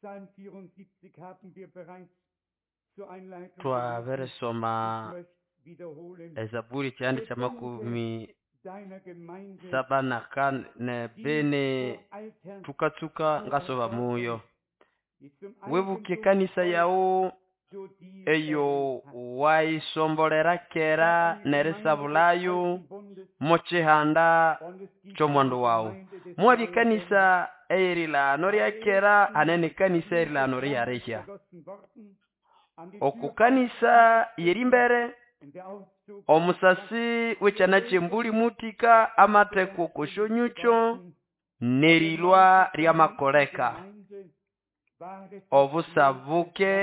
Psalm 74 haben wir bereits zur Einleitung Twabirisoma gelesen. Ich möchte wiederholen. Ezaburi kyandi kya makumi Deiner Gemeinde, saba na kane die bene vor Altern tukatsuka ngasoba muyo die zum wibuke Eigentum kanisa yawu du dir eyo erwählt hast. wayisombolera kera Eine Gemeinde des nerisabulayo alten Bundes mochihanda und es gibt ky'omwandu eine wawu Gemeinde des mwabya neuen ekanisa eyirilano lya kera hanene ekanisa erilano liyarihya vergossen worden an die oku Tür kanisa yeri mbere in der Auszug omusasi w'ekyana ky'embuli mutika amatheko kosyonyucho nerilwa lyamakoleka Gemeinde war es obusabuke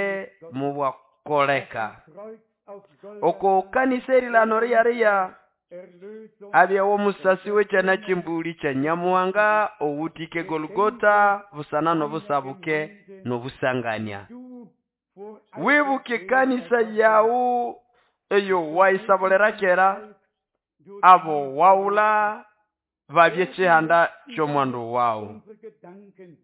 mubwakoleka Kreuz auf Golgatha oko kanisa erilano liyariya Erlösung abyawo omusasi w'ekyana ky'embuli kya Nyamuhanga owutike Golgota busana n'obusabuke n'obusangania du vor wibuke kanisa yawu eyo wayisabulira kera du abo wawula babye kyihanda ky'omwandu wawu unsere Gedanken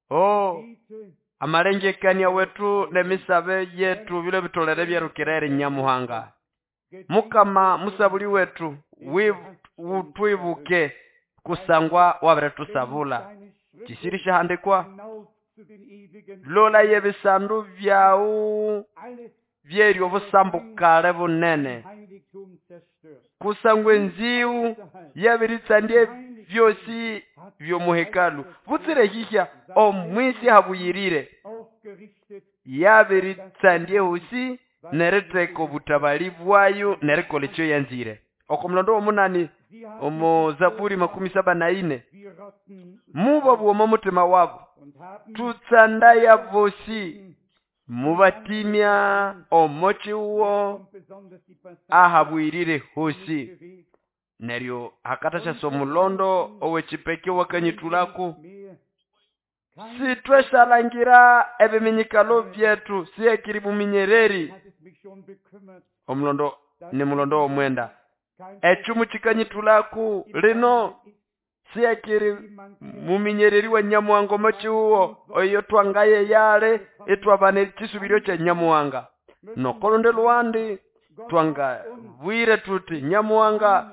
o bete amalengekania wetu n'emisabe yetu bilo bitolere byerukira eri Nyamuhanga mukama musabuli wetu wutwibuke kusangwa wabiretusabula deine Schritte kisiri syahandikwa hinauf zu den ewigen lola yebisandu byawu alles byeri obusambukale bunene Heiligtum zerstört. kusangwa enziwu yabiritsandya byosi byomuhekalu butsire hihya omwisi habuyirire Aufgerichtet yabiritsandya ehosi neritheka obutabali bwayo nerikolha ekyo yanzire oko mulondo w'omunani sie haben omu Zaburi 74 wie Rotten mubo bwoma omutima wabo und haben tutsandaya bosi mubatimya omochiwo und besonders die Passage ahabwirire hosi bewegt neryo hakathashasa omulondo ow'ekipeke wakanyithulako mehr sithweshalangira ebiminyikalo byethu siyekiri muminyereri hat es mich schon bekümmert omulondo ni mulondo w'omwenda kein ekyumu kikanyithulaku lino siyekiri muminyereri wa Nyamuhanga omochiwuwo oyo twangaye yale itwabana ekisubiryo kya Nyamuhanga nokolundi lwandi twangabwire tuti Nyamuhanga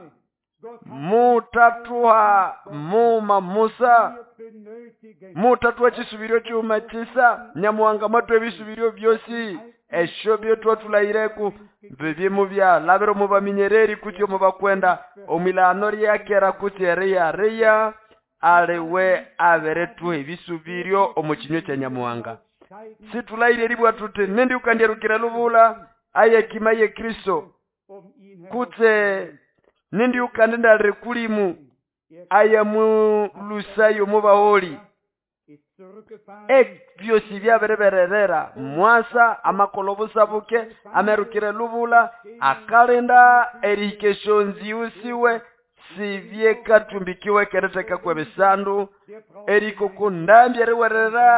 mutathuha muma musa wir benötigen mutathuha ekisubiryo kyuma kisa Nyamuhanga mwathuha ebisubiryo byosi esyo byetwathulayireku bibye mubyalabira omu baminyereri kutse omu bakwenda omwilano lyakera kutse eriyariya aliwe abirithuha ebisubiryo omu kinywa kya Nyamuhanga steigen situlayire eribwa tuti nindi ukandyerukira lubula ayekima ye Kristo um ihn kutse nindi ukandindalire kulimu ayamulusayo mubaholi ist zurückgefahren ebyosi byabiribererera mwasa amakola obusabuke amerukire lubula akalinda erihika esyonziwu siwe sibyekathumbikiwe keritheka kwebisandu der braucht erikoko ndambi eriwerera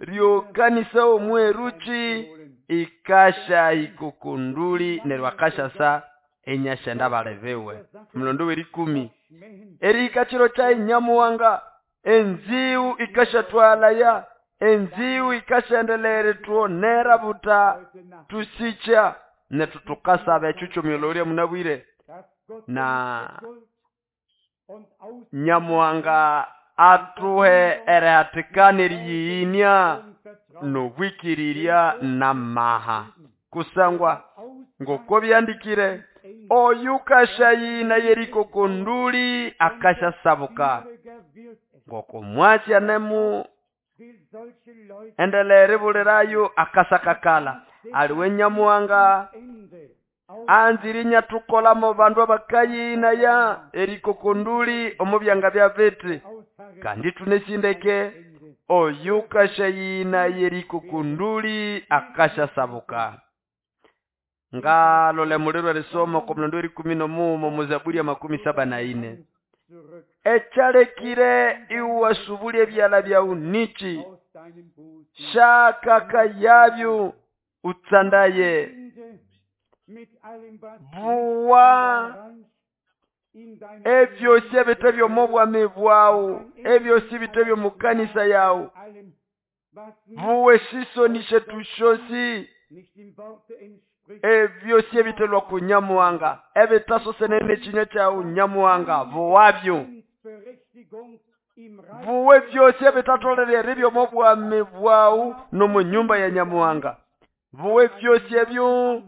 ryokanisa omweruki ikasha ikokonduli neryo akashasa enyashenda balebiwe mulondo w'erikumi schmähen erihika kiro kya Nyamuhanga enziwu ikashathwalaya enziwu ikashendelera ithwonera buta heute Nacht tusikya nethu tukasaba ekyo kyomyolho ulya munabwire dass Gott na uns Geduld und Ausdauer Nyamuhanga athuhe erihathikana eriyiyinia und Vertrauen n'obwikirirya n'amaha kusangwa ngoko byandikire oyu kashayina yerikokonduli akashasabuka Schwieriger wird es. ngoko mwasya nemu Will solche Leute endelea eribulirayo akasakakala aliwe Nyamuhanga Ende anzire inyathukolamo bandu abakayinaya erikokonduli omu byanga bya biti ausharren kandi thunesindeke Ende. oyu kashayina yerikokonduli akashasabuka ngalole muliro erisoma oko mulondo werikumi n'omuuma omu Zaburi ya 74 Zurück ekyalekire iwasubulya ebyala byawu niki aus deinem Busen. shakaka yabyo utsandaye Ende mit allem, was buwa in dein Reich, in deiner ebyosi ebite by'omubwami bwawu ebyosi bite by'omukanisa yawu allem Buwe shisoni shetu shosi ebyosi ebitelwa ku Nyamuhanga ebitasosenene ekinywa kyawu Nyamuhanga buwabyo. Buwe byosi ebitatolere eribya omo bwami bwawu n'omu nyumba ya Nyamuhanga. Buwe byosi ebyo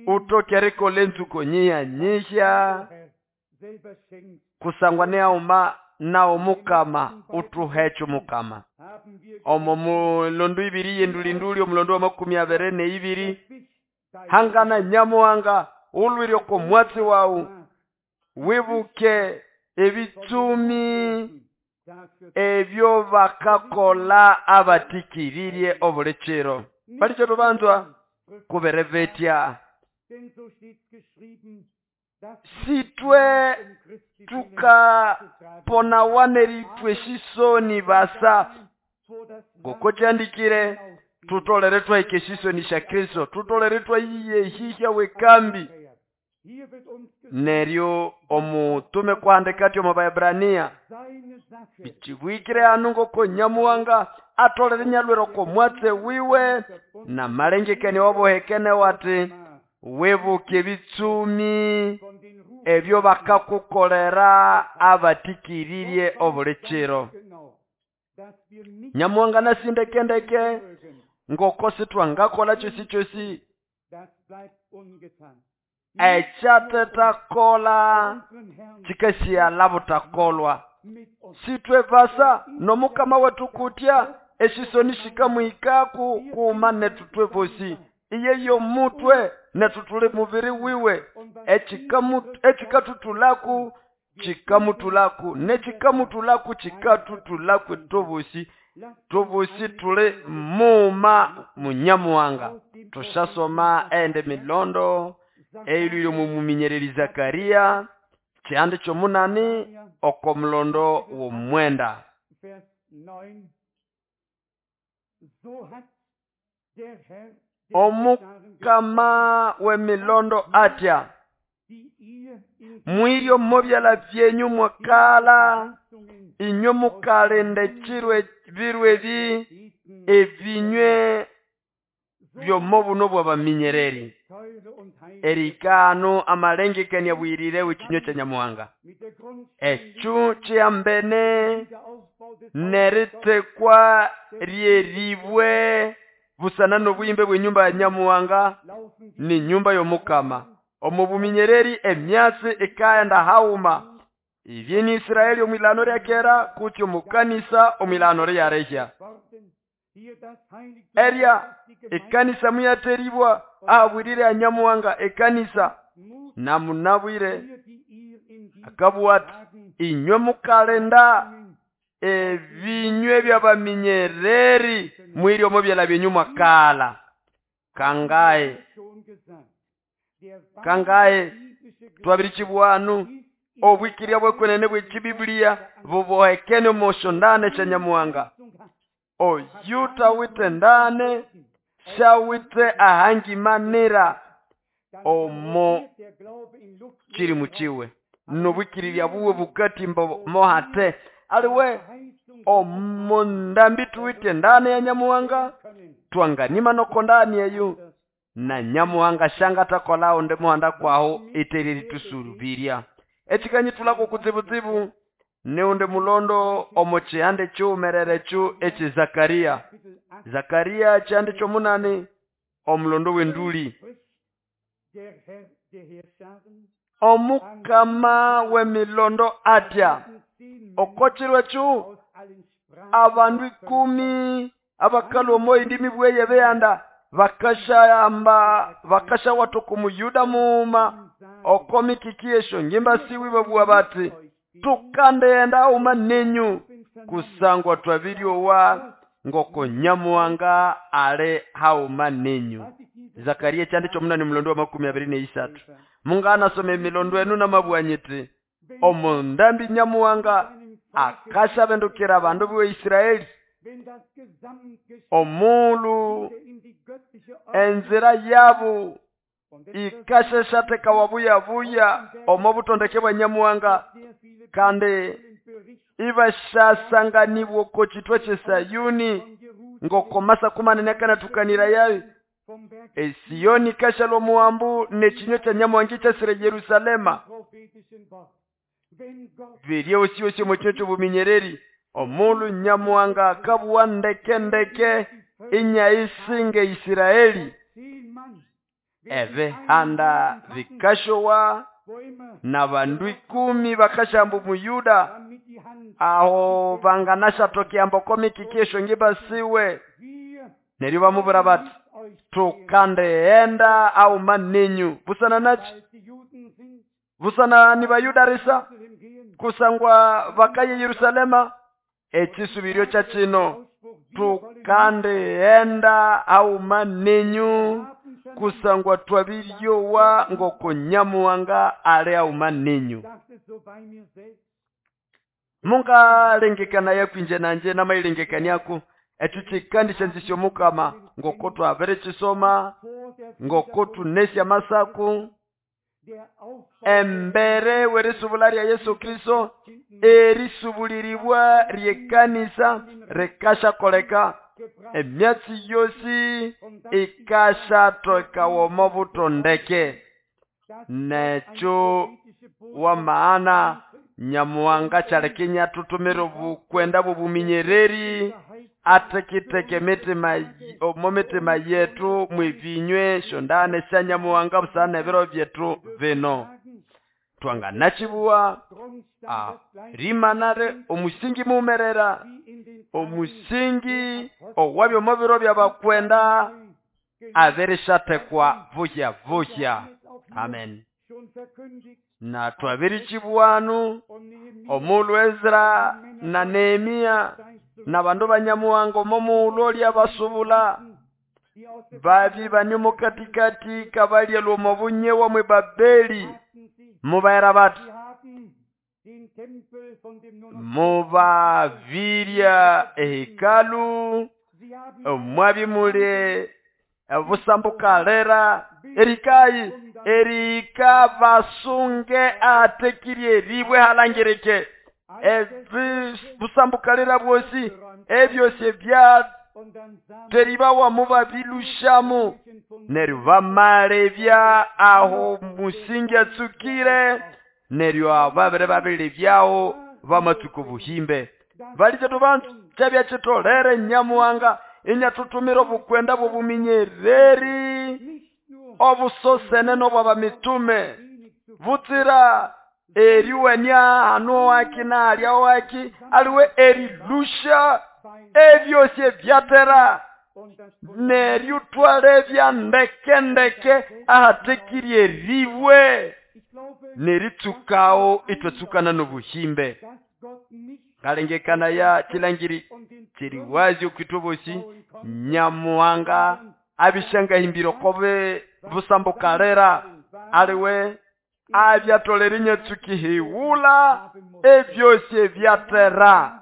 utoke erikola enzuko nyiha nyihya kusangwa nihauma nawo Mukama utuhecho Mukama. Omo mulondo ibiri yendulinduli omulondo wa 22 hangana Nyamuhanga ulwire oko mwatsi wawu wibuke ebitsumi ebyo bakakola abatikiririe obulichiro balicho tubanzwa kuberevetya sitwe tukaponawane ritwe shisoni basa ngoko kyandikire tutolere twahike shisoni sha Kristo tutolere twayiyehisha wekambi. Neryo omutume kuhandika ati omu Baebrania bichibwikire hanu ngoko Nyamuhanga atolere nyalwere oko mwatse wiwe na malengekania wabohekene wati wibuke ebitsumi ebyo bakakukolera abatikiririe obulichiro. Nyamuhanga nasindekendeke ngoko sitwangakola chosi chosi ekyatetakola chikasiyala butakolwa. Sitwe basa nomukama wetu kutya eshisoni shikamwikaku kuma netutwe bosi iye yomutwe netutule mubiri wiwe echikatutulaku chikamutulaku nechikamutulaku chikatutulaku tobosi tobosi tule muma Munyamuhanga. Tushasoma ende milondo eilwile mumuminyereri Zakaria kyande kyomunani oko mulondo w'omwenda. Omukama w'emilondo atya mwiryo mobyala byenyu mwakala inywe mukalenda chirwe birwe ebinywe byomo buno bw'abaminyereri. Erikano amalengekania bwirire w'ikinywa kya Nyamuhanga ekyo kyambene neritekwa ryeribwe busana n'obuyimbe bw'enyumba ya Nyamuhanga ni nyumba y'Omukama. Omu buminyereri emyatsi ikaenda hauma ibyeni Israeli omwilano lya kera kutyo mukanisa omwilano lya rehya. Erya ekanisa muyateribwa ahabwirire ya Nyamuhanga ekanisa namunabwire akabwati inywe mukalenda ebinywe by'abaminyereri mwiri omo byala byenyu mwakala. Kangae kangae twabirichibwanu obwikiria bwekwenene bw'ekibiblia bubohekene omoshondane kya Nyamuhanga. Oyuta witendane shawite ahangimanira omo kiri muchiwe nobwikiriria buwe bukatimba mohate aliwe omo ndambi tuwitendane ya Nyamuhanga twanganima nokondani eyo na Nyamuhanga shanga takolao nde muhanda kwaho itereri tusurubiria. Echikanyi tulako kutsibutsibu neunde mulondo omo chihande chumerere chu echi Zakaria. Zakaria chihande chomunani omulondo w'enduli. Omukama w'emilondo atya okochirwe chu abandu 10 abakalu omo indimi bweye beyanda bakashayamba bakasha watu kumuyuda muuma okomikikiesho ngimba siwi babua bati tukandeenda uma nenyu kusangwa twabiryowa ngoko Nyamuhanga ale hauma nenyu. Zakaria chande chomunani mulondo wa 23. Mungana some milondo enu namabwanyiti omo ndambi Nyamuhanga akashabendukira abandu b'e Israeli omulu enzira yabo ikasheshateka wabuyabuya omo butondeke bwa Nyamuhanga kandi Ibashasanganibwa oko kitwa ky'eSayuni ngoko masaku manene akanathukanira yayo. Esiyoni ikashalwa omuhambu n'ekinywa kya Nyamuhanga ikyasira Yerusalema. Birye osi osi omo kinywa ky'obuminyereri omulhu Nyamuhanga akabuwa ndeke ndeke inyayisinga Isiraeli. Ebihanda bikashowa n'abandu 10 bakashamba Omuyuda aho banganashatokea mboko mikiki eshongi basiwe. Neryo bamubwira bati tukandeenda auma nenyu busana nachi busana ni Bayuda risa kusangwa bakaye Yerusalema. Ekisubiryo kya kino tukandeenda auma nenyu kusangwa twabiryowa ngoko Nyamuhanga ali auma nenyu. Mungalengekana yakwinje nanje namailengekaniako ekyo kikandisha nzisyo Mukama ngoko twabirikisoma ngoko tunesya masaku embere w'erisubula lya Yesu Kristo erisubuliribwa ly'ekanisa rikashakoleka emyatsi yosi ikashatweka omo butondeke. Nekyo wamaana Nyamuhanga kyalekinya tutumire obukwenda bw'obuminyereri ateketeke emitima omo mitima yetu mwibinywe shondane sya Nyamuhanga busana ebiro byetu bino. Twanganachibuwa rimanare omusingi mumerera omusingi owabyo omo biro by'abakwenda abirishatekwa vuhya vuhya. Amen. Na twabirichibuwanu omulhu Ezra na Nehemia na bandu ba Nyamuhanga omo mughulhu lyabasubula babi bani omo katikati kabalyalwa omo bunyewa mwe Babeli mubaira bati mubabirya ehekalu omwabi muli obusambukalera erikayi erika basunge atekirye eribwe halangirike busambukalera bwosi ebyosi ebya teribawa mubabilushamu neryo bamalebya aho musingi atsukire neryo ababere babiribyaho bamatsuka obuhimbe. Balije tubantu kyabya kitolere Nyamuhanga inyatutumira obukwenda bw'obuminyereri obusosene n'obwabamitume butsira eriwenia hanu waki nalya waki aliwe erilusha ebyosi ebyatera neryo twalebya ndeke ndeke ahatekirye eribwe neritsukao itwatsukana n'obuhimbe. Ngalengekana ya kilangiri kiri wazi okwitwa bosi Nyamuhanga abishangahimbira okobe busambukalera aliwe abyatolera inyatsukihiwula ebyosi ebyatera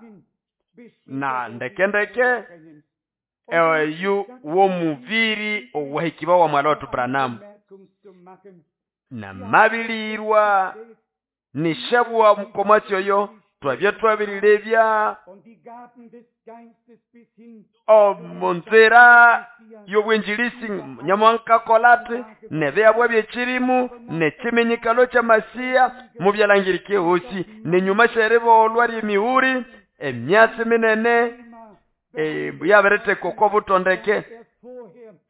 na ndeke ndeke eyu w'omubiri owahikiba wa mwala watu Branham na mabilirwa nishabwa mukomwatsi oyo twabya twabirilebya omunzira y'obwenjilisi Nyamuhanga kolate nebyabwa byekirimu nekiminyikalo kya Masiya mubyalangirike hosi nenyuma syeribolwa ly'emihuri emyatsi minene yabiriteka oko butondeke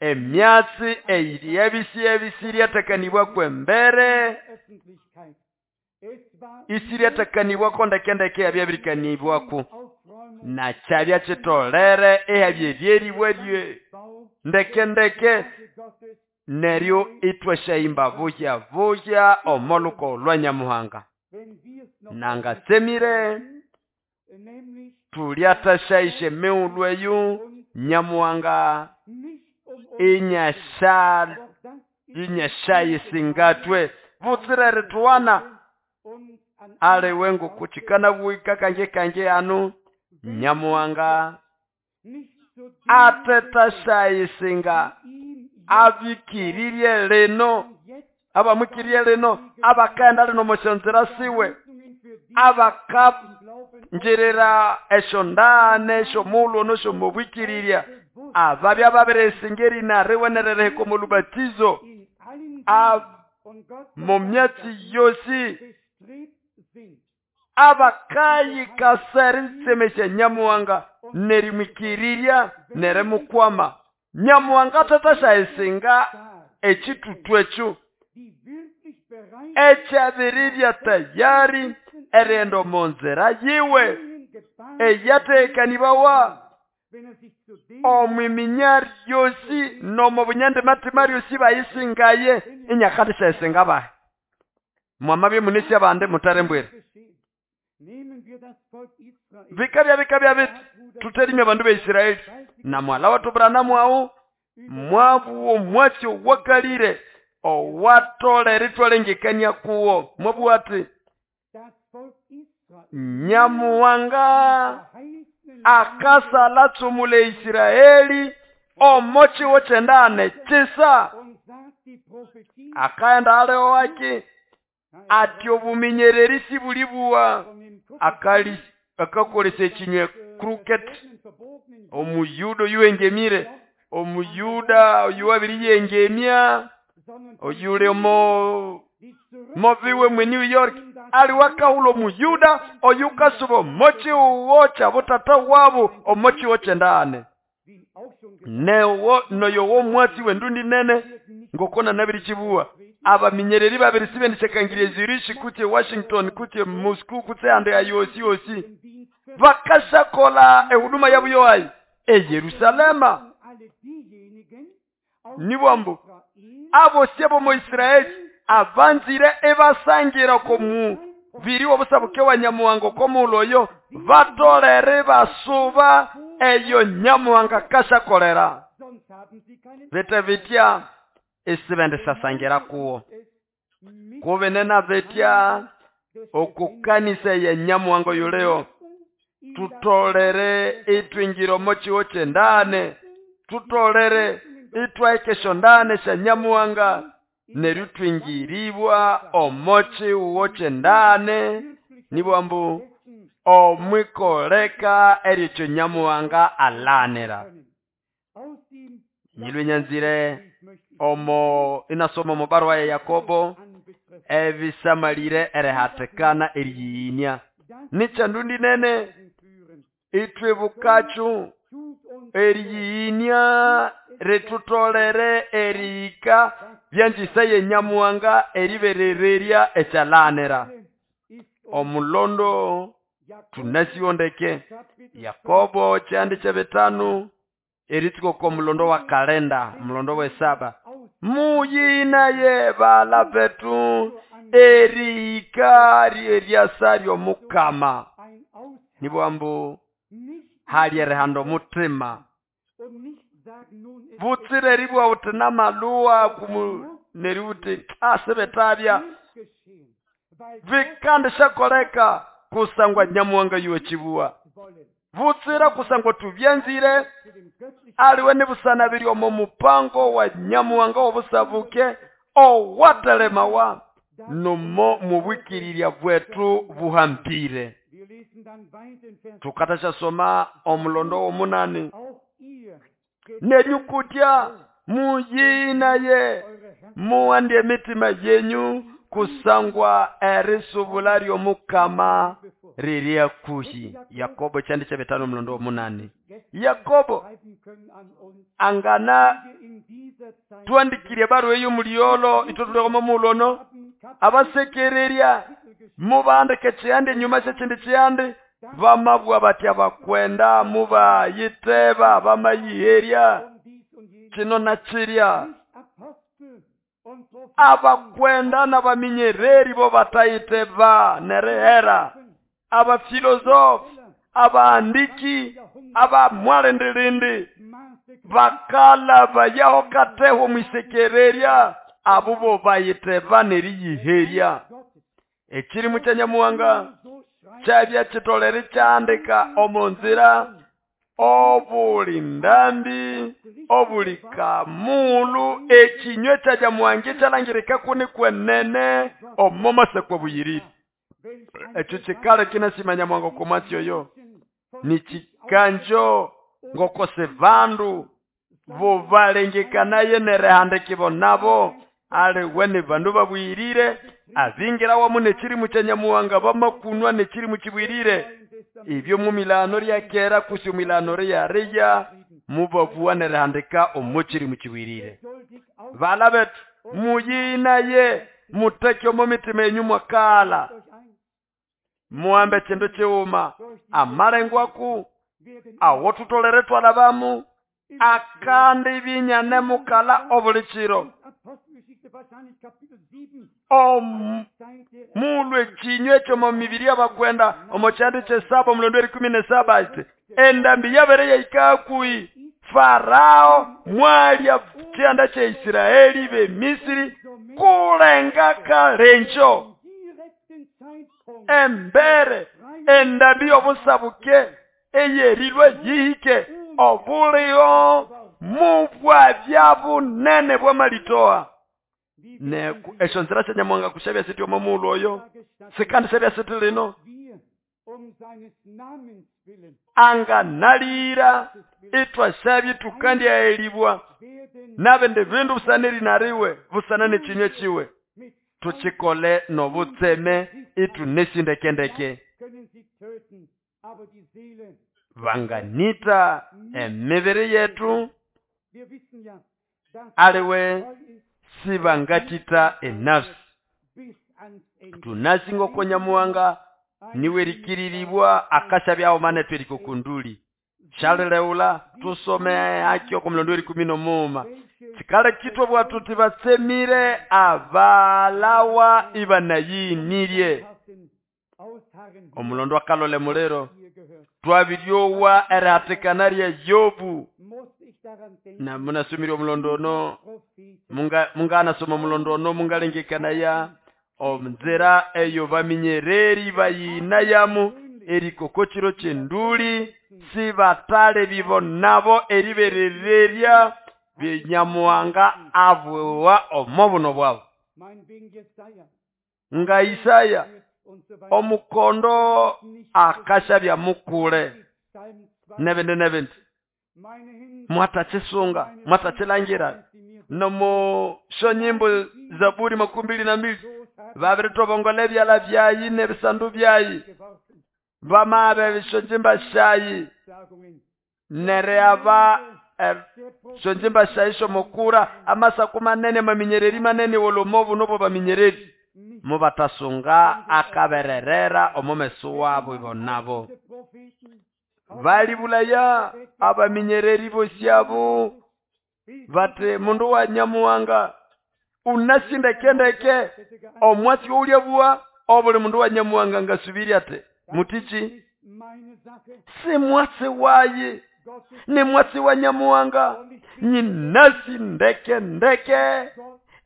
emyatsi eyiri ebisi ebisi lyatekanibwa kwembere isi lyatekanibwako ndekendeke yabyabirikanibwako na kyabya kitolere ehabyeryeribwa rye ndekendeke neryo itwashayimba vuhya vuhya omoluko lwa Nyamuhanga. Nangatsemire tulyatashaishe mighulhu eyu Nyamuhanga inyashayisingatwe butsira erituwana aliwe ngokukikana bwika kange kange anu Nyamuhanga atetashayisinga abikirirye lino abamukirye lino abakaenda lino moshonzera siwe Ngirira esyondane esyomulhu ono syomobwikirirya ababya babirisinga erina riwe nerihika omo lubatizo mumyatsi yosi abakayikasa eritsemesya Nyamuhanga nerimwikirirya nerimukwama. Nyamuhanga athathasyayisinga ekitutu ekyo ekyabiribya tayari erighenda omo nzira yiwe eyatekanibawa omwiminya ryosi nomo bunyandimatima ryosi bayisingaye inyakandisyayisinga bahe. Mwamabya munesi abandi mutarembwere. Bikabya biti tuterimya abandu ba Israeli na mwala wethu Branham awu mwabuwa omwatsi owakalire owatolere itwalengekania kuwo mwabuwa ati Nyamuhanga akasala tsumula Israeli omo kiwo kyendane kisa akaenda aliwo aki ati obuminyereri sibulibuwa akali akakolesa ekinywe crooked omuyuda oyuwengemire omuyuda oyuwabiriyengemya oyuli omo mobiwe mwe New York aliwakahula omuyuda oyukasuba omokiwo kya butata wabo omokiwo kyendane newo noyo womwatsi wendundi nene ngokona nabirikibuwa abaminyereri babiri sibendishakangirie Zurich kutse Washington kutse Moscow kutse ande ayosi yosi bakashakola ehuduma yabo yoayi eYerusalema nibwambu abo syabo mu Israeli abanzire ebasangira komu biri obusabuke wa Nyamuhanga komuloyo batolere basuba eyo Nyamuhanga kashakolera bete bitya esibendisasangira kuwo kubenena betya okukanisa ya Nyamuhanga yuleo tutolere itwingiro mochiwo kyendane tutolere itwaikesho ndane sya Nyamuhanga neryo twingiribwa omochiwo kyendane nibwambu omwikoleka erikyo Nyamuhanga alanira. Nyilwe nyanzire omo inasoma omo barua ya Yakobo ebisamalire erihatikana eriyiyinia nikyandundi nene itwibukacu eriyiyinia ritutolere erihika byanjisa ye Nyamuhanga eriberererya ekyalanira omulondo tunasiwondeke. Yakobo kyandi kyebitanu eritsuka oko mulondo wa kalenda mulondo wesaba muyinaye bala betu erihika ryeryasa ryomukama nibwambu hali erihanda omutima butsire eribwa uti namaluwa kumu neri uti asibetabya vikandishakoleka kusangwa Nyamuhanga yuwe kibuwa butsira kusangwa tubyanzire aliwe nibusana biri omo mupango wa Nyamuhanga obusabuke owatelemawa nomo mubwikirirya bwetu buhambire. Tukatasha omulondo womunani nenyukutya muyinaye muwandye emitima yenyu kusangwa erisubula ryomukama riri kuhi. Yakobo kyandi kyebitano mulondo womunani. Yakobo angana twandikire barua eyo mulyolo itotulekoma mulono abasekererya mubandike kyandi enyuma syekyindi kyandi bamabwa batya bakwenda mubayiteba bamayiherya kino na kirya abakwenda n'abaminyereri bo batayiteba nerihera abafilosofi abaandiki abamwalendelende bakala bayaho kateho mwisekererya abo bo bayiteba neriyiherya ekirimu kya Nyamuhanga kyabya kitolere kyandika omu nzira obuli ndambi obuli kamulu ekinywe kya Nyamuhanga kyalangirika kuni kwenene omo masekwa buyirire. Ekyo kikale kinasima Nyamuhanga oko mwatsi oyo. Nikikanjo ngokose bandu bobalengekanaye nerihandikibo nabo aliwe ni bandu babwirire abingirawamu n'ekirimu kya Nyamuhanga bamakunwa n'ekirimu kibwirire. Ibyo mumilano lya kera kusi omwilano lya mubabuwa nerihandika omo kirimu kibwirire. Bala betu muyinaye muteke omo mitima yenyu mwakala muhambe kindu kiwuma amalengwaku awo tutolere twalabamu akandi binyane mukala obuli kiro. Mulwe kinywa ekyo mu mibiri y'abakwenda omu kyandi kyesaba omulondo 17 ati endambi yabere yaikakui Farao mwalya kyanda kya Isiraeli be Misiri kulenga kalenjo embere endambi y'obusabuke eyerilwe yihike obulio mubwa bya bunene bw'amalitoa. Neku esyo nzira sya Nyamuhanga kushabya siti omo muulu oyo sikandi syabya siti lino anga nalira itwashabye tukandyaelibwa nabindi bindu busana erinariwe busana n'ekinywa kiwe tukikole n'obutseme itunesindekendeke. Banganita emibiri yetu aliwe sibangatita enafsi. Tunasinga oko Nyamuhanga niwerikiririrwa akashabyawo mane twerikokunduli shalileula tusome akyo oko mulondo 18. Kikale kitwa bwatu tibatsemire abalawa ibanayinirye. Omulondo akalole muliro twabiryowa erihatikana lya Yobu. Na munasumira omulondo ono munganasoma omulondo ono mungalengekanaya omunzira eyo baminyereri bayinayamu erikoko kiro kyenduli sibatale bibo nabo eriberererya byenyamuhanga abwewa omo buno bwabo. Nga Isaya omukondo akashabya mukule nebindi nebindi mwatachisunga mwatachilangira nomo shonyimbo Zaburi 22 babiri byala byayi nebisandu byayi bamabe shonjimba shayi nereaba shonjimba shayi shomokura amasaku manene maminyereri manene wolomovu nobo baminyereri mubatasunga akabererera omumeso wabo ibonabo. Balibulaya abaminyereri bosyabo bate mundu wa Nyamuhanga unasindekendeke omwasi ulyabua obuli mundu wa Nyamuhanga ngasubiri ate mutichi si mwasi wayi ni mwasi wa Nyamuhanga nyinasindekendeke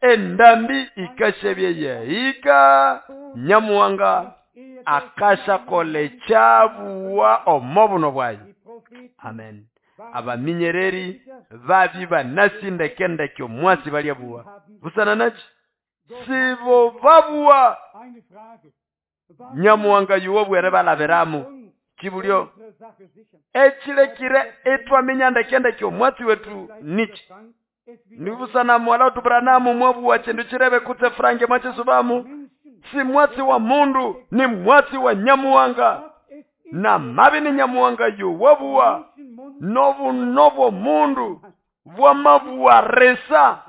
endambi ikashebye yahika Nyamuhanga akasha kole chabuwa omobuno bwayi. Amen. Abaminyereri babi banasindekendeke omwasi balyabuwa busana nachi sibo babuwa Nyamuhanga yuwobwere balaberamu kibulyo ekilekire etwamenya ndekendeke omwasi wetu nichi nibusana mwala tubranamu mwabuwa chindu chirebe kutse frange mwachisubamu si mwatsi wa mundu ni mwatsi wa Nyamuhanga na mabi ni Nyamuhanga yuwabuwa nobu nobo mundu bwamabuwa resa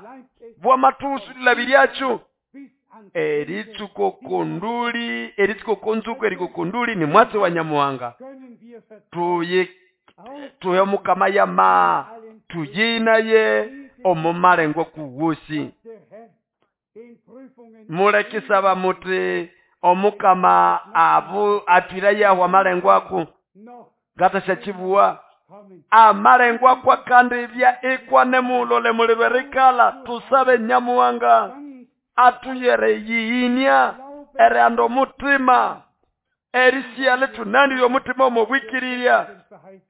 bwamatusulabiryachu eritsuko kunduli eritsuko konzuko eriko kunduli ni mwatsi wa Nyamuhanga. Tuye tuye mukama yama tuyinaye omumalengwa kuwusi mulekisaba muti omukama abu atwira yahu amalengwaku gatasha chibuwa amalengwa kwa kandi bya ikwane mulole muliberikala tusabe Nyamuhanga atuyere yiinya erando mutima erisiale tunani omutima omubwikirirya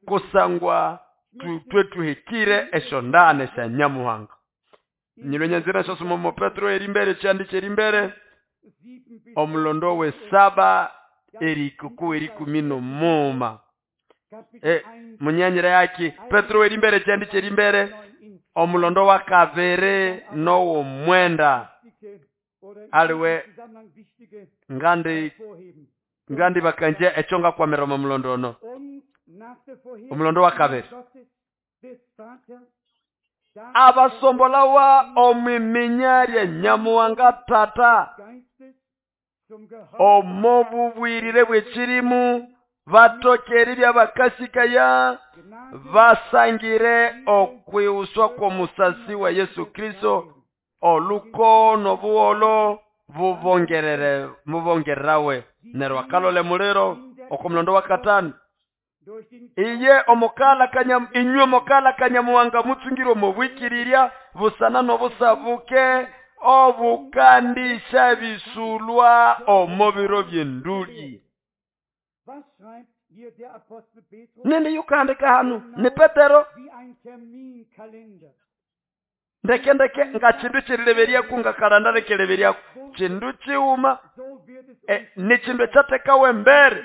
kusangwa tutwe tuhikire eshondane sha Nyamuhanga. Nyilwenyanzira shosoma mo Petro erimbere kyandi kyerimbere omulondo we 7 Erikuku erikumi n'omuma. Munyanyira yaki Petro werimbere kyandi kyerimbere omulondo wa kabiri n'owomwenda aliwe ngandi ngandi bakanje ekyo ngakwamira omo mulondo ono omulondo wa kabiri abasombolawa omwiminya lya Nyamuhanga Tata omo bubwirire bw'ekirimu batokeri byabakasikaya basangire okwiuswa kw'omusasi wa Yesu Kristo olukono buholo bubongerere mubongererawe neryo akalole muliro okomulondo wa katano iye omukala kanya inywe omukala Kanyamuhanga mutsungire omubwikirirya busana n'obusabuke obukandisha bisulwa omo biro by'enduli. Nende yukandika hanu ni Petero ndeke ndeke nga chindu chirileberyaku nga kalanda lekeleberyaku chindu chiuma ni chindu ekyatekawe embere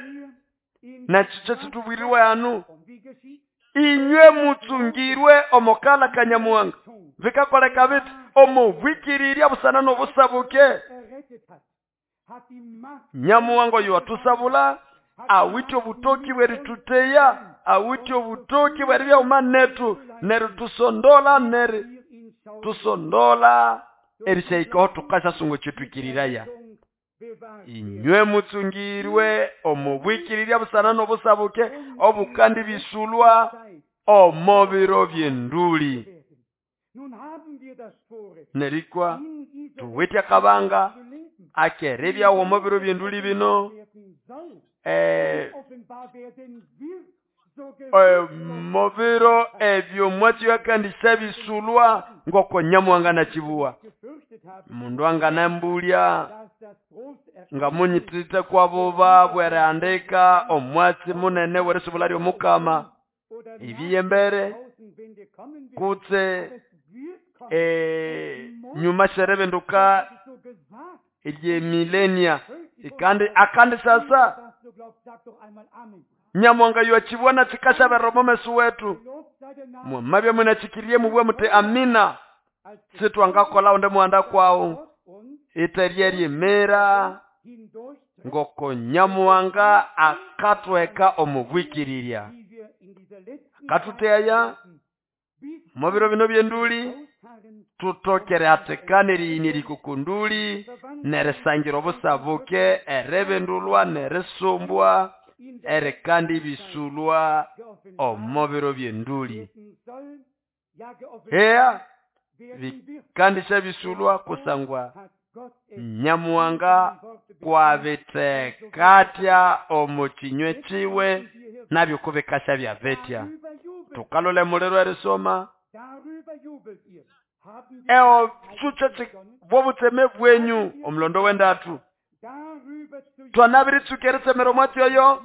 nakyo kyetubwiriwe hanu inywe mutsungirwe omukala Kanyamuhanga bikakoleka biti omubwikirirya busana n'obusabuke Nyamuhanga oyo watusabula awithe obutoki bwerituteya awithe obutoki bweribyauma netu neryo tusondola neri tusondola erishahikaho tukashasunga kyetwikiriraya inywe mutsungirwe omubwikirirya busana n'obusabuke obukandi bisulwa omo biro by'enduli. Nerikwa tuwithe akabanga akeribyawo omo biro by'enduli bino mubiro ebyo mwatsi yakandisha bisulwa ngoko Nyamuhanga nakibuwa mundu anganambulya nga munyitite kwabuba bwerihandika omwatsi munene werisubula ly'omukama ibiyembere kutse nyuma sherebinduka eryemilenia kandi akandi sasa Nyamuhanga yuachibwana chikashaberera omo mesu wetu mwamabya munachikirie mubwe muti amina sitwangakola onde muhanda kwawu iterye ryemera ngoko Nyamuhanga akatweka omubwikirirya akatuteya mu biro bino by'enduli tutokere atekane eriyini erikukunduli nerisangira obusabuke eribindulwa nerisumbwa erikandi bisulwa omo biro by'enduli. Eya bikandisha bisulwa kusangwa Nyamuhanga kwabitekatya omu kinywe kiwe nabyo kubikasha byabetya. Tukalole muliro erisoma eo chuche bwobutseme bwenyu omulondo wendatu twanabiritsuka eritsemero omwatsi oyo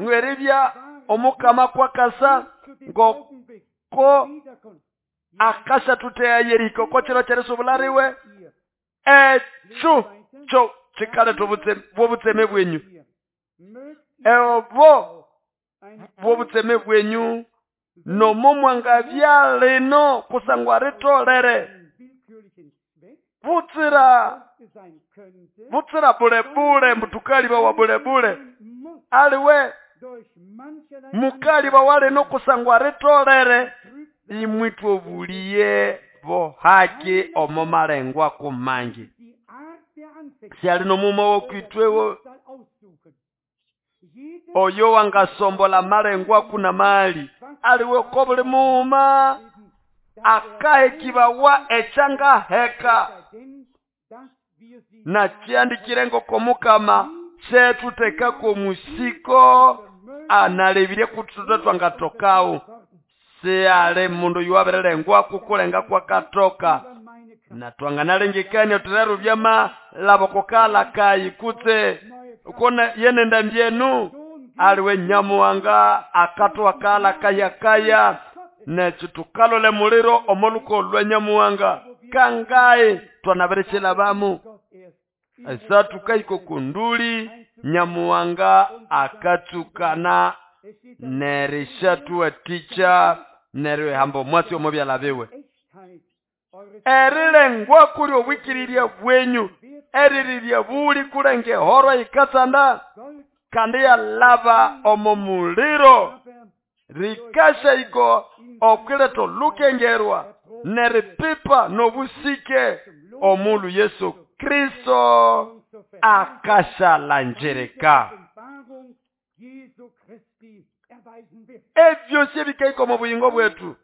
ngweribya omukama kwakasa ngoko akasha tuteya yeriko kochiro kyerisubula riwe ekyo kyo kikaletha bwobutseme bwenyu ebo bwobutseme bwenyu nomo mwangabya lino kusangwa ritolere butsira butsira bulebule mbutukaliba wa bulebule aliwe mukaliba walino kusangwa ritolere imwitwe obuliye bohaki omo malengwa kumangi syali nomuma wokwitwewo oyo wangasombola malengwa kuna mali aliwe ko buli muuma akahekibawa ekyangaheka nakyandikire ngoko mukama kyetutekako omusiko analebire kututa twangatokawo siyali mundu yuwabirelengwa kukulenga kwakatoka na twanganalengekania tureru byamalabo kukala kayi kutse kona yenenda mbyenu aliwe Nyamuhanga akatwakala kayakaya nekyo tukalole muliro omoluko lwa Nyamuhanga kangayi twanabirekyelabamu esa tukahika okunduli Nyamuhanga akatsukana nerishatuwatikya neryo ehamba omwatsi omo byala biwe. Erilengwa kuli obwikirirya bwenyu eririrya buli kulenge ehoro yikatsanda kandi yalaba omo muliro rikasha iko okwileta olukengerwa neripipa nobusike omulu Yesu Kristo akashalanjirika. Ebyosi ebikaika omu buyingo bwetu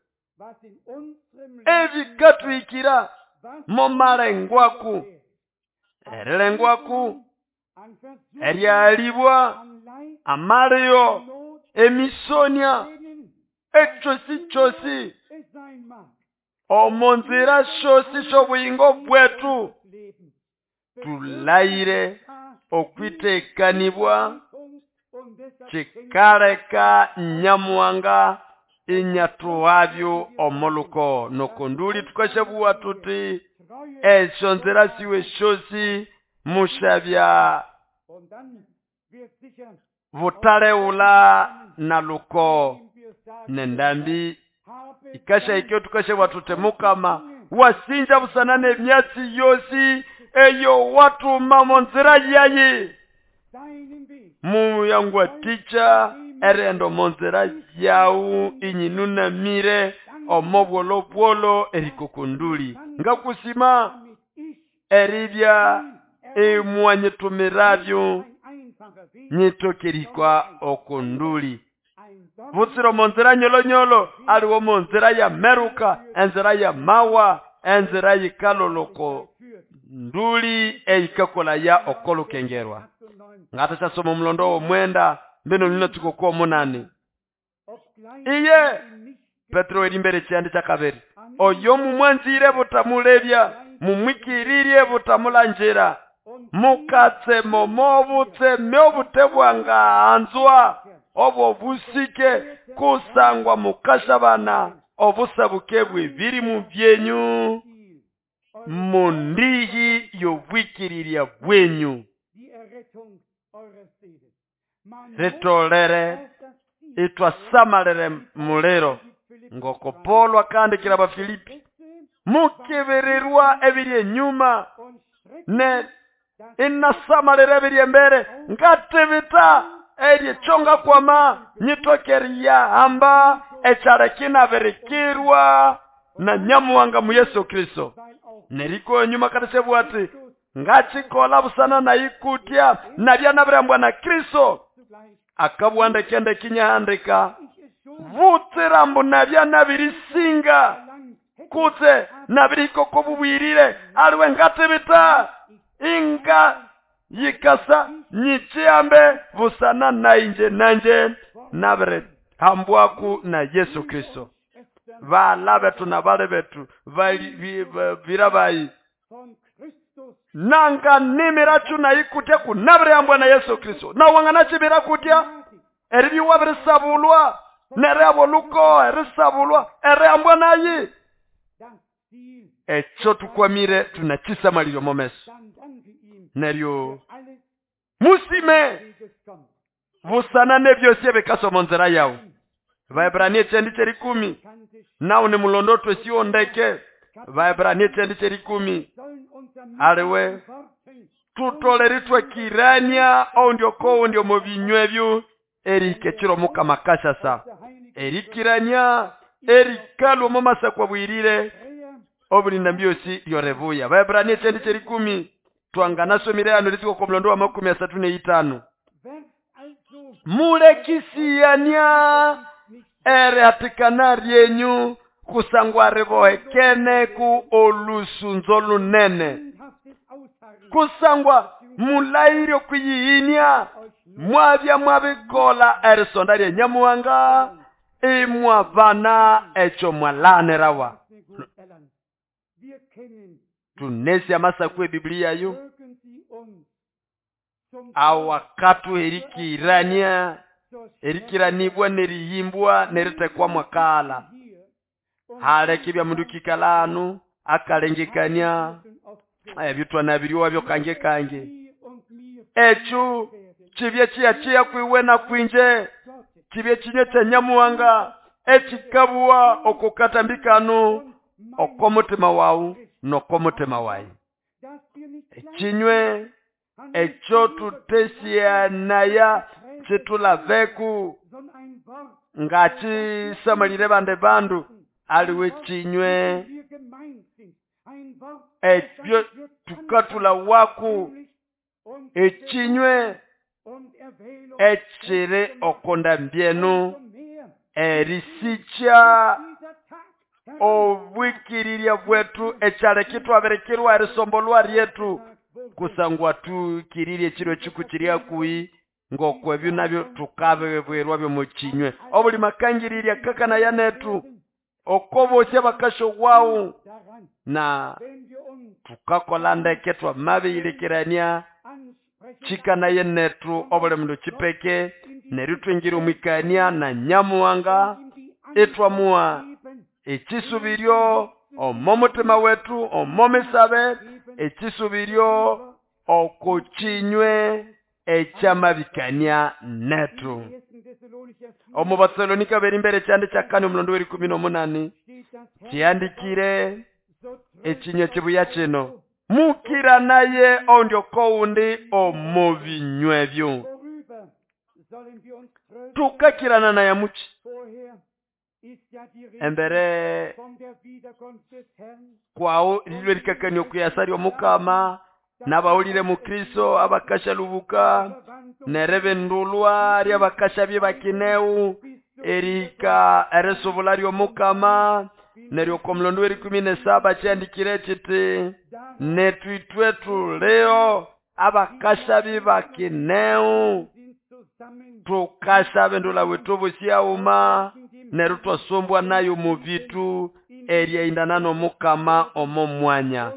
ebikatwikira momalengwaku erilengwaku eryalibwa amalio emisonia ekyosi kyosi omonzira shosi shobuyingo bwetu tulayire okwitekanibwa kikaleka Nyamuhanga inyathuhabyo omoluko nokonduli tukashabuwa tuti esyo nzira siwe shosi mushabya butaleula na luko nendambi ikasha ikyo tukashabwa tute mukama wasinja busana nemyatsi yosi eyo watuma monzira yayi muyangwaticha erendo monzira yau inyinunamire omobwolo bwolo erikokonduli ngakusima eribya emwanyitumiravyo nyitokerikwa okonduli butsiro monzira nyolonyolo aliwo monzira ya meruka enzira ya mawa enzira yikaloloko nduli eikakola ya okolukengerwa ngatasasoma omulondo w'omwenda mbino lina tuko munani iye Petro erimbere kyandi kyakabiri oyo mumwanzire butamulebya mumwikiririe butamulanjira mukatse momobutse myobute bwanganzwa obwo busike kusangwa mukashabana obusabuke bw'ebiri mu byenyu mundihi y'obwikirirya bwenyu ritolere itwasamalire muliro ngoko Paulo akandikira Abafilipi mukibirirwa ebiri enyuma ne inasamalire ebiri embere ngatibita eryechonga kwama nyitokeria hamba ekyala kinabirikirwa na Nyamuhanga mu Yesu Kristo neriko enyuma katashebwa ati ngachikola busana na ikutya nabya nabirambwa na Kristo akabwanda kende kinyahandika butsirambu nabya nabirisinga kutse nabirikoko bubwirire aliwe ngatibita inga yikasa nyichiambe busana nainje nanje nabire hambwaku na Yesu Kristo bala betu na bale betu birabayi nanga nimirachu na ikutya kunabirambwa na Yesu Kristo na wangana chibira kutya eribiwa birisabulwa nereabo luko erisabulwa ereambwa nayi echo tukwamire tunachisamaliryo momeso neryo musime busana nebyosi ebikaso monzera yawo Vaebrania chendi cherikumi nawo ni mulondo twesiwo ndeke Vaebrania chendi cherikumi aliwe tutoleritwe kirania ondio ko ndio mobinywe erikechiro mukama kashasa erikirania erikalu momasa kwa bwirire obulinda mbyosi lyorevuya Vaebrania chendi cherikumi twanganasomire ano litiko kwa mlondo wa 35 mulekisiyania ere hatikana ryenyu kusangwa ribohekene ku olusunzo lunene kusangwa mulairyo kuyihinya mwabya mwabikola erisonda lye Nyamuhanga imwabana echo mwalanerawa tunesi amasaku ebiblia yo awakatu erikirania erikiranibwa neriyimbwa neritekwa mwakala halekibya mundu kikalanu akalengekania ebyutwa nabiriwa byo kange kange echo Kibye kiyakiya kwiwe na kwinje, kibye kinywe kya Nyamuhanga ekikabuwa oko katambi kano oko mutima wawu noko mutima wayi. Ekinywe ekyo tutesyanaya kitulaveku ngakisamalire bande bandu, aliwe kinywe ebyo tukatula waku, ekinywe ekiri okonda mbyenu erisikya obwikirirya bwetu ekyaleka itwabirikirwa erisombolwa ryetu kusangwa tukirirye ekiro ekiku kiri hakuhi ngoko ebyo nabyo tukabibwirwa byomukinywe. Obuli makangirirya kakanaya netu oko bosi abakashowawu na tukakola ndeke twamabiyilekirania chikanaye netu obuli mundu chipeke neryo twingira omwikania na Nyamuhanga itwamuha ekisubiryo omo mutima wetu omo misabe ekisubiryo oko kinywe ekyamabikania netu. Omu Batesalonika beri mbere kyandi kya kane omulondo w'erikumi n'omunani kyandikire ekinywe kibuya kino, mukiranaye oundi okoundi omu binywe byo. Tukakirana naye muki? Embere kwawo lilwe likakania okuyasa ly'omukama n'abawulire mu Kristo abakashalubuka nerebendulwa ly'abakasha bye bakineu erika erisubula ly'omukama neryo oko mulondo w'erikumi n'esaba kyandikire kiti netu itwe tulio abakasha bye bakineu tukasha bendula wetu busyauma neryo twasombwa nayo mu bitu eryaindana n'omukama omo mwanya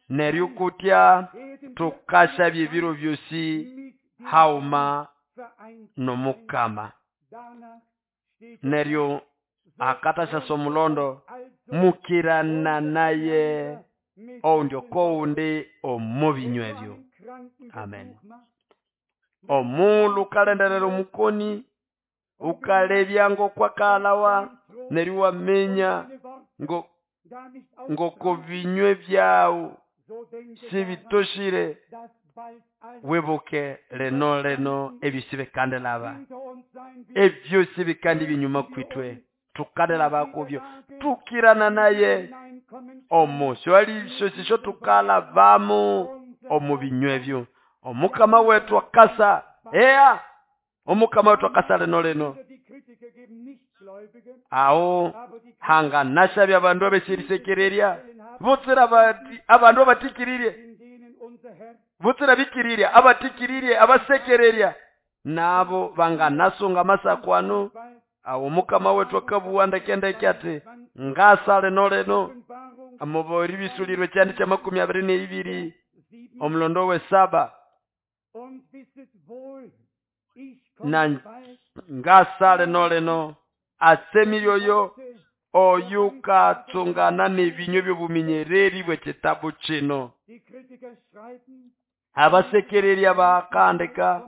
neryo kutya tukasha byebiro byosi hauma n'omukama. Neryo akatasha omulondo mukirana naye oundi okoundi omu binywa ebyo. Amen. Omulu ukalenderera omukoni ukalebya ngokwakalawa neryo wamenya ngoko binywe byawu sibitoshire, wibuke leno leno ebyo sibikandelaba ebyo sibikandi binyuma kwitwe tukandelaba kubyo tukirana naye omo swali sosisho tukalavamu omu binywe ebyo. Omukama wetu akasa ea omukama wetu akasa leno leno aho hanga nashabya abandu abeshirisekererya butsira abandu abatikiririe butsira bikirirya abatikiririe abasekererya nabo banganasunga masakwano. Awo mukama wetu akabuwa ndekendeke ati ngasa leno leno amubori bisulirwe kyandi kya 22 omulondo we 7 na ngasa leno leno asemiryoyo oyukatsungana n'ebinywe by'obuminyereri bw'ekitabu kino. Abasekererya bakandika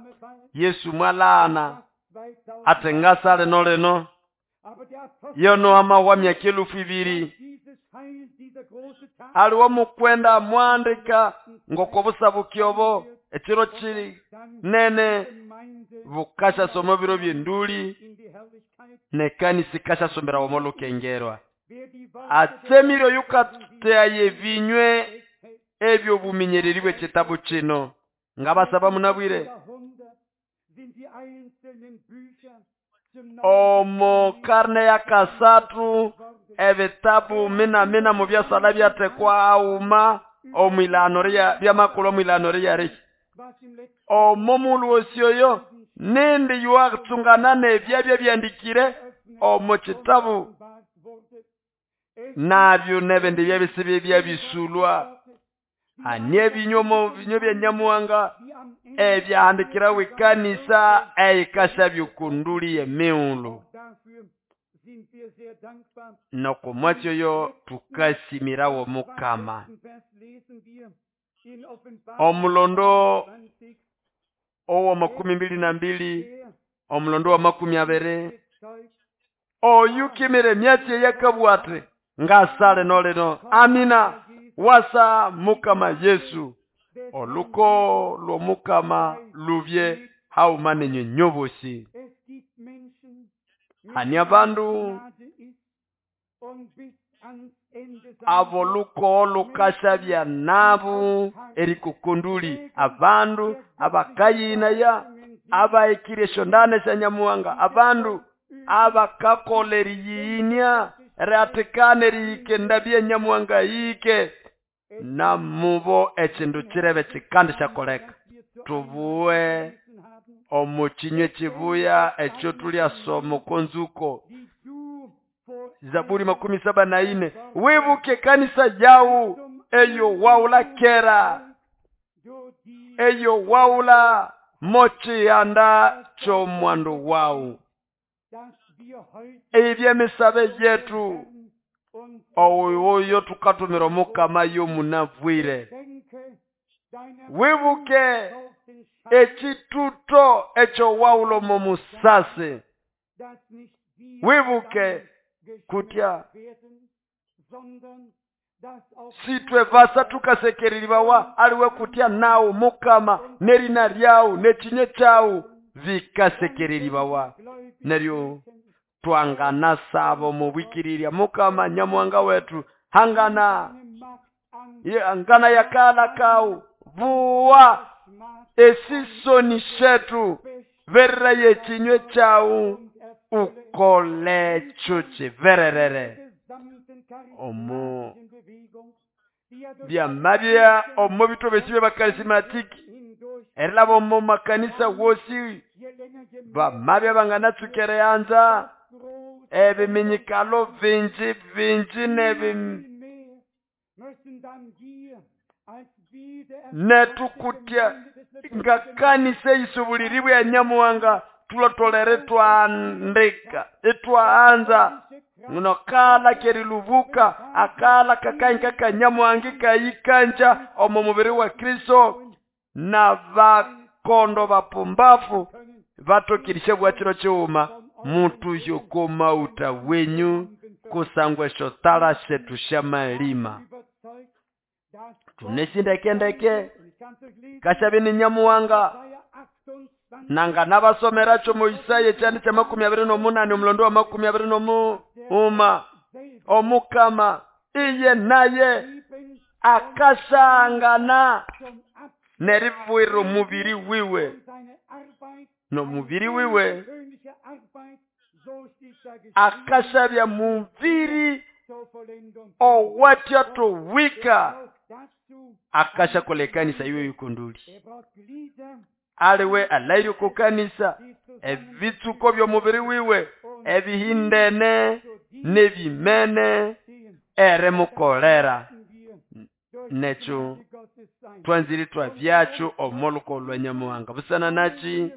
Yesu mwalana ate ngasa leno leno yono amahwa myaka 2000 aliwo mukwenda mwandika ngoko busabukyobo ekiro kiri nene bukasha somo biro by'enduli nekanisa ikasha sombera omo lukengerwa. Atsemire yukateaye binywe ebyo buminyereri bw'ekitabu kino ngabasaba munabwire omo karne ya kasatu ebitabu mina mina mu byasala byatekwa auma omwilano rya byamakulu omwilano rya riki omo mulu osioyo nindi yuatsungana nebyabya byandikire omo kitabu nabyo nebindi byabisibi byabisulwa anie binyomo binyo bya Nyamuhanga ebyahandikirawe kanisa eyikasha byukunduli emiulu nokomwatyo yo tukasimirawo mukama. Omulondo owa 22 omulondo wa 20 oyukimire emyatsi eyakabugha ati ngasa lino lino. Amina. Wasa Mukama Yesu. Oluko lw'Omukama lubye hauma nenywe nyobosi. Hani abandu ab'olukogo lukashabya nabo erikukunduli, abandu abakayinaya, abahekire esyondana esya Nyamuhanga, abandu abakakola eriyiyinia erihatikana erihika endambi ya Nyamuhanga yihike, namubo ekindu kirebe kikandisyakoleka. Tubuwe omu kinywa ekibuya ekyo tulyasoma oko nzuko. Zaburi 74 wibuke ekanisa yawu eyo wawula kera, eyo wawula mochihanda ky'omwandu wawu. Eby'emisabe yetu oyo tukatumira Omukama y'omunabwire. Wibuke ekituto ekyo wawula omo musasi. Wibuke kutya sitwe basa tukasekereribawa aliwe kutya nawu Mukama nerina lyawu nekinye kyawu bikasekereribawa. Neryo twangana sabo mubwikirirya Mukama Nyamuhanga wetu hangana ngana yakala kawu buwa esisoni shetu verera yekinywe kyawu ukole kyo kivererere. Omo byamabya omo bito besi by'abakarismatiki erilaba omo makanisa wosi bamabya banganatsukere anza ebiminyikalo bingi bingi netukutya ngakanisa eyisubuliribwa ya Nyamuhanga tulotolere twandika etwaanza nokala kerilubuka akala kakainka ka Nyamuhanga kayikanja omo mubiri wa Kristo na bakondo bapumbafu batokirishe bwachiro chiuma mutu yokomauta wenyu kusangwa esyo tala shetu syamalima. Tunesindekendeke kashabe ni Nyamuhanga nanga nabasomeracho mu Isaya ekyandi kya 28 omulondo wa 21 Omukama iye naye akasangana neribwira omubiri wiwe nomubiri wiwe akashabya mubiri owatya towika akashakola ekanisa iwe yikunduli aliwe alaire ku kanisa ebitsuko by'omubiri wiwe ebihindene n'ebimene eremukolera. Nekyo twanzire twabyakyo omuluko lwa Nyamuhanga busana naki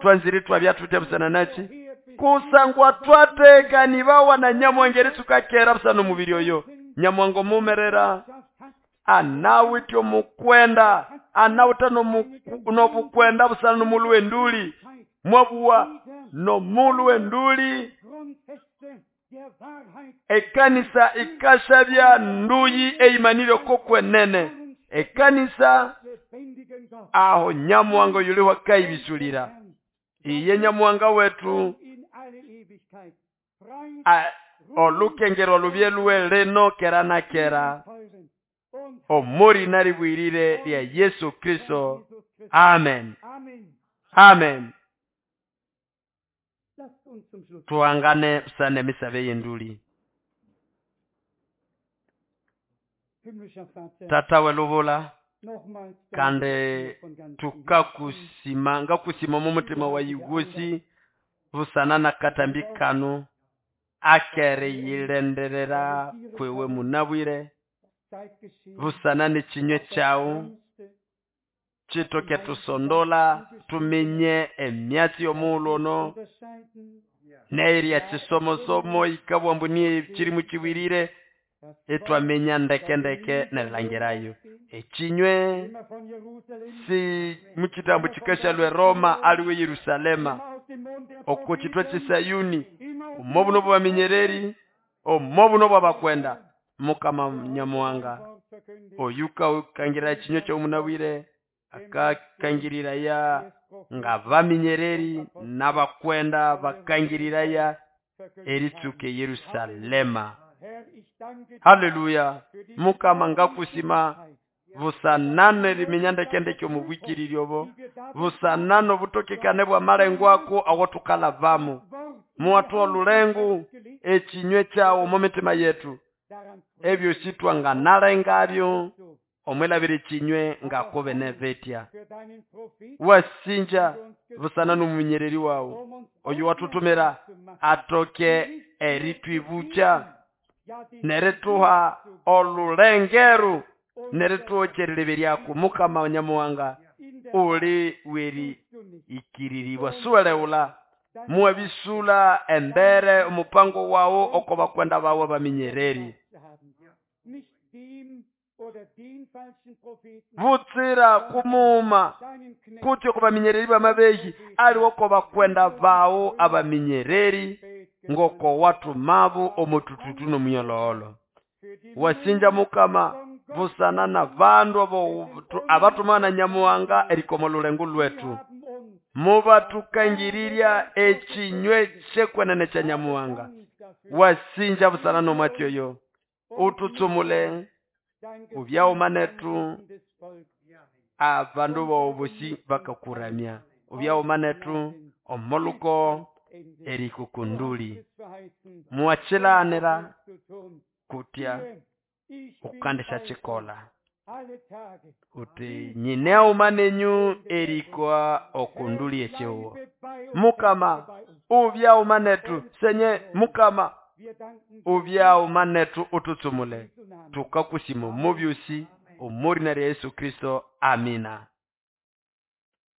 twanzire twabyatutya busana naki kusangwa twatekanibawa na Nyamuhanga eritsukakera busana omubiri oyo. Nyamuhanga omumerera anawithe omukwenda anawithe nobukwenda busana nomulu w'enduli mwabuwa nomulu w'enduli ekanisa ikashabya nduyi eimanire okokwenene ekanisa aho Nyamuhanga yuliwa kaibisulira iye Nyamuhanga wetu olukengero lubye leno kera na kera omori naribwirire lya Yesu Kristo. Amen. Amen. Tuangane busana emisabe y'enduli. Tata welubula kandi tukakusima ngakusima mu mutima wa yugosi busana na katambi kano akere yilenderera kwewe munabwire busana n'ekinywe kyawu kitoke tusondola tumenye emyatsi y'omughulhu ono neerya kisomosomo ikabwa mbu niye kirimu kibwirire. Etwaminya ndeke ndeke nerilangirayo ekinywe si mukitambo kikashalwa Roma aliwe Yerusalema oko kitwa ky'Esayuni omo buno bwabaminyereri omo buno bwabakwenda Mukama Nyamuhanga oyuka ukangirira ekinywe ky'omunabwire akakangiriraya nga baminyereri n'abakwenda bakangiriraya eritsuka Yerusalema. Haleluya. Mukama ngakusima busanane eriminya ndekendeke omubwikiriri obo busanane obutokekane bwa malengo ako awo tukalabamo muwathuha olulengo ekinywe kyawo omo mitima yetu ebyosi twanganalengabyo omwilabira ekinywe ngakubene betya wasinja busana n'omuminyereri wawu oyo wathuthumira atoke eritwibukya nerituha olulengeru nerituha erilebe Mukama Nyamuhanga uli weri ikiriribwa suweleghula muwabisula embere omupango wawu oko bakwenda bawu abaminyereri butsira kumuuma kutya oko baminyereri bamabehi aliwo oko bakwenda bawu abaminyereri ngoko wathumabo omutututu n'omunyololo wasinja Mukama busana na bandu abathumana na Nyamuhanga erikoma olulengo lwetu mubathukangirirya ekinywe kyekwenene kya Nyamuhanga wasinja busana n'omwatsi oyo uthutsumule ubyaghuma nethu abandu bowo bosi bakakuramya ubyaghuma nethu omoluko erikukunduli muwakilanira kutya ukandisyakikolha uthi nyineghuma nenyu erikwa okunduli ekyihugho Mukama ubyaghuma nethu senye Mukama ubyaghuma nethu uthutsumule tukakusima omo byosi omorina rya Yesu Kristo amina.